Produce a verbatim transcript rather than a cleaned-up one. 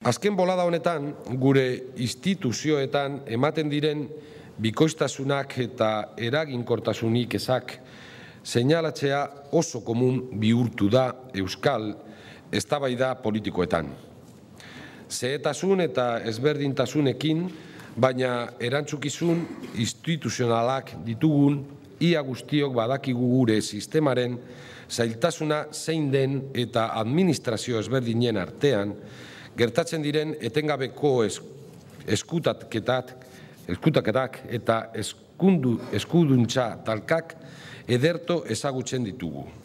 Azken bolada honetan, gure instituzioetan ematen diren bikoiztasunak eta eraginkortasunik ezak seinalatzea oso komun bihurtu da euskal eztabaida politikoetan. Zehetasun eta ezberdintasunekin, baina erantzukizun instituzionalak ditugun, ia guztiok badakigu gure sistemaren zailtasuna zein den eta administrazio ezberdinen artean, gertatzen diren etengabeko eskutaketak eta eskuduntza talkak ederto ezagutzen ditugu.